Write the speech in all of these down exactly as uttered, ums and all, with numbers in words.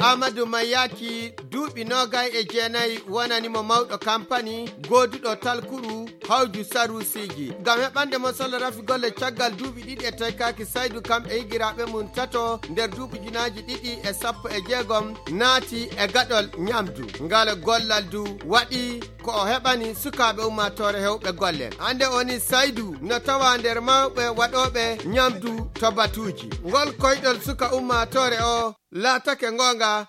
Amadou Mayaki, duuɓi noogay e jeenayi, wonani mo mawɗo kampani gooduɗo talkuru hawju saruusiiji. Ngam heɓande mo solo rafi golle caggal duuɓi ɗiɗi e taykaaki, Saydu kam e higiraaɓe mum tato nder duuɓi ujunaaji ɗiɗi e sappo e jeegom naati e gaɗol ñamdu. Ngal gollal du waɗi ko o heɓani sukaaɓe ummaatoore hewɓe golle. Hannde o ni Saydu no tawa nder mawɓe waɗooɓe ñamdu to batuuji. Ngol koyɗol suka ummaatoore o laatake ngoonga.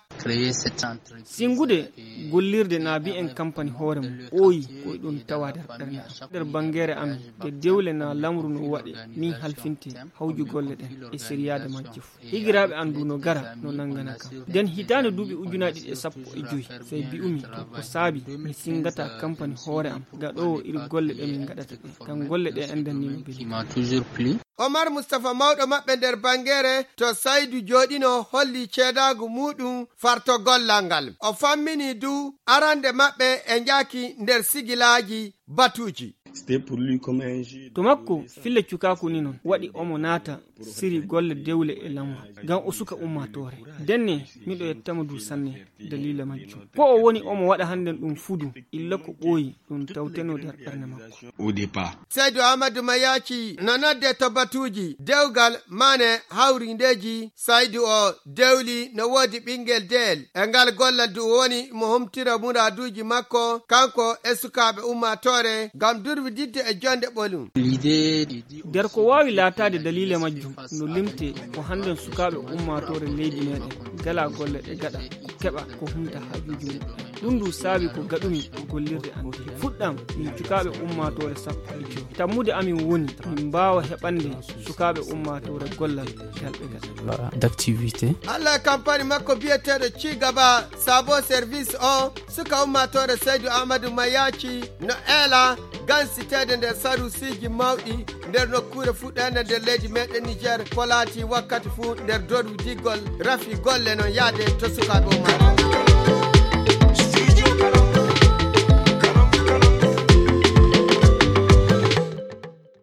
Singude gollirde na mbiyen kampani hoore mum, ɓooyi ko e ɗum tawa nder ɓernde am. Nder banngeere amen, nde dewle na lamru no waɗe, min halfinte hawju golle ɗen e seriyaade majje fof. Higiraaɓe an du no gara, no nanngana kam. Nden hitaande duuɓi ujunaaji ɗiɗi e sappo e joy, sey mbi'umi ko saabi mi sinngata kampani hoore am, gaɗoowo iri golle ɗe min ngaɗata ɗe. Ngam golle ɗe enɗan ni no mbeli. Omar Mustafa, mawɗo maɓɓe nder banngeere to Saydu jooɗino, holli ceedaagu muuɗum farto gollal ngal. O fammini du arande maɓɓe e njaaki nder sigilaaji batuuji. To makko, fille cukaaku ni non, waɗi omo naata siri golle dewle e lamru. Ngam o suka ummaatoore. Denne, miɗo yettamo du sanne daliila majjum. Ko o woni omo waɗa hannden ɗum fudu, illa ko ɓooyi ɗum tawteno nder ɓernde makko. Au départ. Saydu Amadou Mayaki no nodde to batuuji dewgal mane hawrindeeji. Saydu o dewli no woodi ɓinngel deyel. E ngal gollal du woni mo humtira muraaduuji makko, kanko e sukaaɓe ummaatoore, ngam durwididde e jonde ɓolum. Nder ko waawi laataade daliila majjum, no limtee ko hannden sukaaɓe ummaatoore leydi meeɗen ngala golle ɗe gaɗa, keɓa ko humta haajuuji mum. Ɗum du saabi ko gaɗumi ko gollirde an. Fuɗɗam min cukaaɓe ummaatoore sappo e joy. Tammude amin woni min mbaawa heɓande sukaaɓe ummaatoore gollal ngal ɓe gaɗa. D'activité. Allah e kampani makko biyeteeɗo Cigaba Sabo Service o, suka ummaatoore Saydu Amadou Mayaki no eela gansiteede nder saruusiiji mawɗi nder nokkuure fuɗɗeende nder leydi meeɗen Niger, ko laati wakkati fuu nder dorwidinngol rafi golle no yaade to sukaaɓe ummaatoore.